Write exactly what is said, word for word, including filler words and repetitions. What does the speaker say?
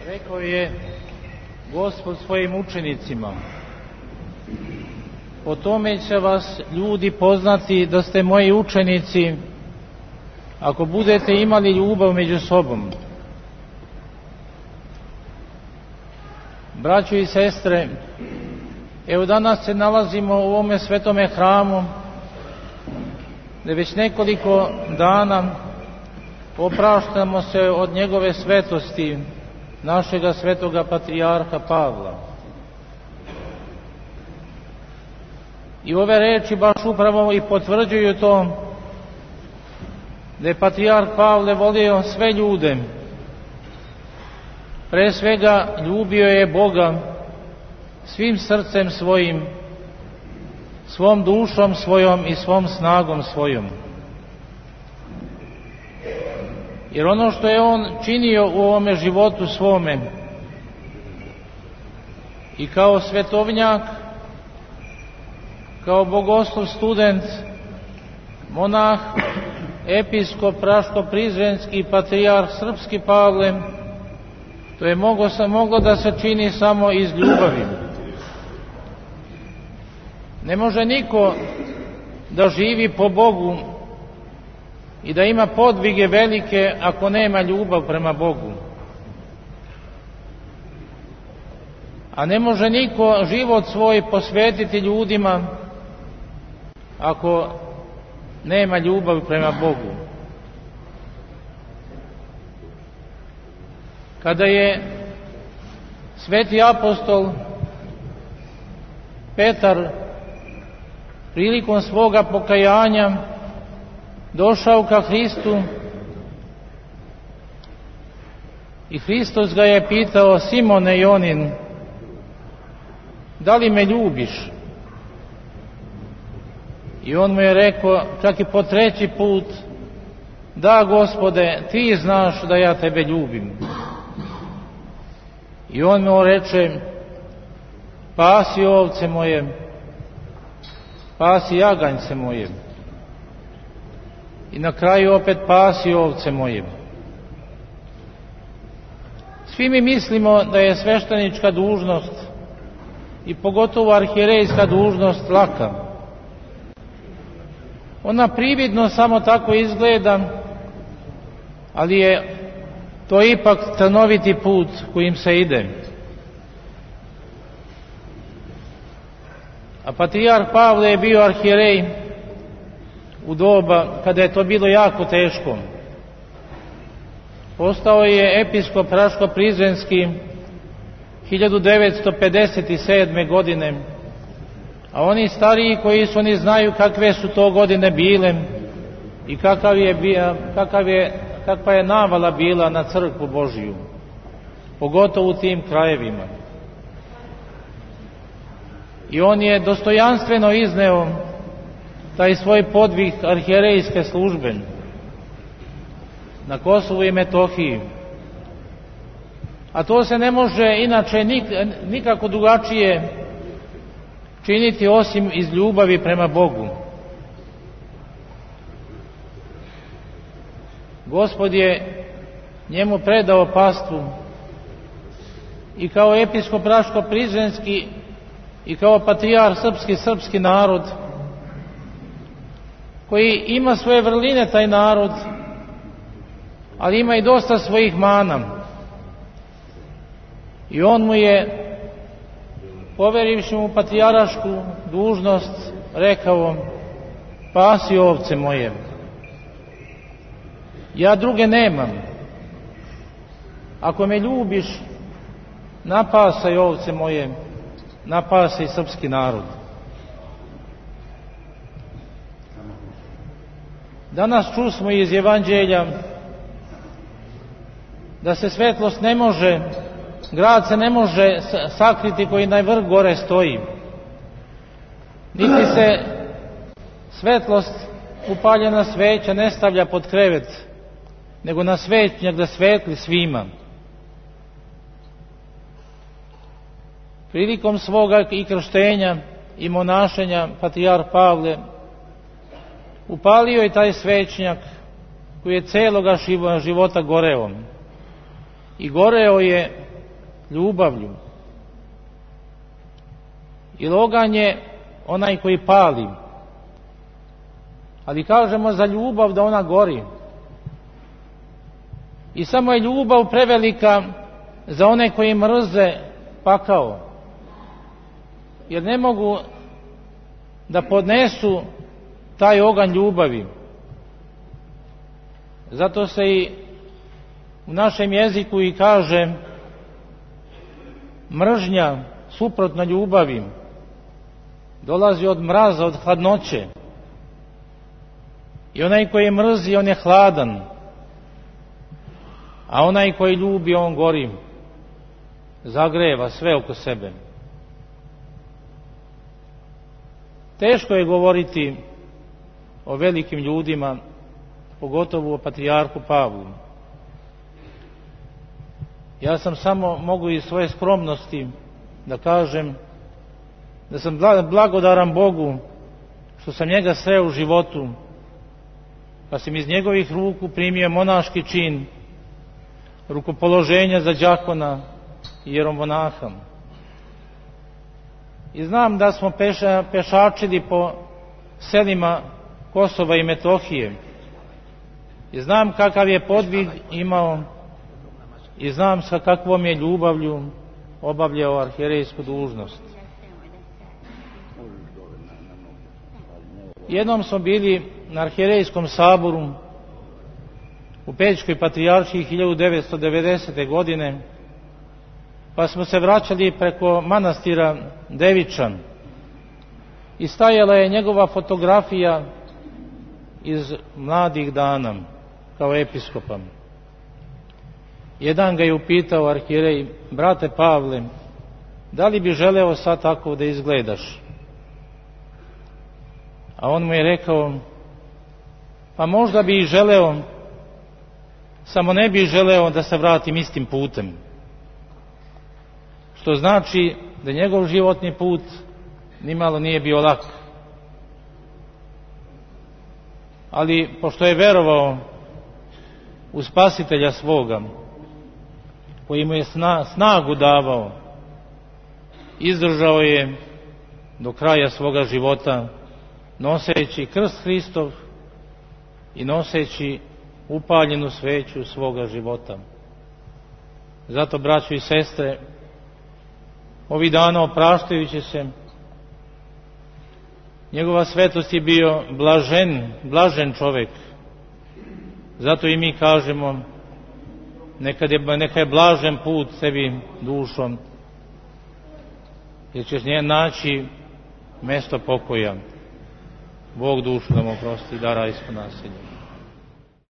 Rekao je Gospod svojim učenicima: po tome će vas ljudi poznati da ste moji učenici, ako budete imali ljubav među sobom. Braćo i sestre, evo danas se nalazimo u ovome svetome hramu, gdje već nekoliko dana opraštamo se od njegove svetosti, našega svetoga patrijarha Pavla. I ove reči baš upravo i potvrđuju to, da je patrijarh Pavle volio sve ljude. Pre svega ljubio je Boga svim srcem svojim, svom dušom svojom i svom snagom svojom. Jer ono što je on činio u ovome životu svome, i kao svetovnjak, kao bogoslov, student, monah, episkop Raško-Prizrenski, patrijarh srpski Pavle, to je moglo, moglo da se čini samo iz ljubavi. Ne može niko da živi po Bogu i da ima podvige velike ako nema ljubav prema Bogu. A ne može niko život svoj posvetiti ljudima ako nema ljubav prema Bogu. Kada je sveti apostol Petar prilikom svoga pokajanja došao ka Hristu i Hristos ga je pitao: Simone Jonin, da li me ljubiš? I on mu je rekao, čak i po treći put: da, Gospode, ti znaš da ja tebe ljubim. I on mu reče: pasi ovce moje, pasi jaganjce moje. I na kraju opet: pasi ovce moje. Svi mi mislimo da je sveštenička dužnost i pogotovo arhijerejska dužnost laka. Ona prividno samo tako izgleda, ali je to ipak trnoviti put kojim se ide. A patrijarh Pavle je bio arhijerej u doba kada je to bilo jako teško. Postao je episkop Raško-Prizrenski hiljadu devetsto pedeset sedme. godine, a oni stariji koji su, oni znaju kakve su to godine bile i kakav je, kakav je, kakva je navala bila na crkvu Božiju, pogotovo u tim krajevima. I on je dostojanstveno izneo taj svoj podvig arhijerejske službe na Kosovu i Metohiji. A to se ne može inače nikako drugačije činiti osim iz ljubavi prema Bogu. Gospod je njemu predao pastvu i kao episkop Raško-Prizrenski i kao patrijarh srpski, srpski narod, koji ima svoje vrline taj narod, ali ima i dosta svojih mana. I on mu je, poverivši mu patrijarašku dužnost, rekao: pasi ovce moje, ja druge nemam, ako me ljubiš, napasaj ovce moje, napasaj srpski narod. Danas čusmo iz Evanđelja da se svetlost ne može, grad se ne može sakriti koji na vrh gore stoji. Niti se svetlost, upaljena sveća, ne stavlja pod krevet, nego na svećnjak da svetli svima. Prilikom svoga i krštenja i monašenja patrijarh Pavle upalio je taj svećnjak koji je celoga života goreo. I goreo je ljubavlju. Jer oganj je onaj koji pali, ali kažemo za ljubav da ona gori. I samo je ljubav prevelika za one koji mrze pakao, jer ne mogu da podnesu taj oganj ljubavi. Zato se i u našem jeziku i kaže mržnja suprotna ljubavi, dolazi od mraza, od hladnoće. I onaj koji mrzi, on je hladan, a onaj koji ljubi, on gori, zagreva sve oko sebe. Teško je govoriti o velikim ljudima, pogotovo o patrijarhu Pavlu. Ja sam samo mogu iz svoje skromnosti da kažem da sam blagodaran Bogu što sam njega sreo u životu, pa sam iz njegovih ruku primio monaški čin, rukopoloženja za đakona i jeromonaha. I znam da smo peša, pešačili po selima Kosova i Metohije. I znam kakav je podvig imao i znam sa kakvom je ljubavlju obavljao arhijerejsku dužnost. Jednom smo bili na arhijerejskom saboru u Pećkoj patrijaršiji hiljadu devetsto devedesete. godine, pa smo se vraćali preko manastira Devičan i stajala je njegova fotografija iz mladih dana kao episkopa. Jedan ga je upitao arhijerej: brate Pavle, da li bi želeo sad tako da izgledaš? A on mu je rekao: pa možda bi i želeo, samo ne bi želeo da se vratim istim putem. Što znači da njegov životni put nimalo nije bio lak. Ali pošto je verovao u Spasitelja svoga, koji mu je snagu davao, izdržao je do kraja svoga života, noseći krst Hristov i noseći upaljenu sveću svoga života. Zato, braćo i sestre, ovih dana opraštajući se, njegova svetost je bio blažen, blažen čovjek. Zato i mi kažemo: neka je, neka je blažen put sebi dušom, jer ćeš nje naći mesto pokoja. Bog dušu da mu oprosti, da rajsko naselje.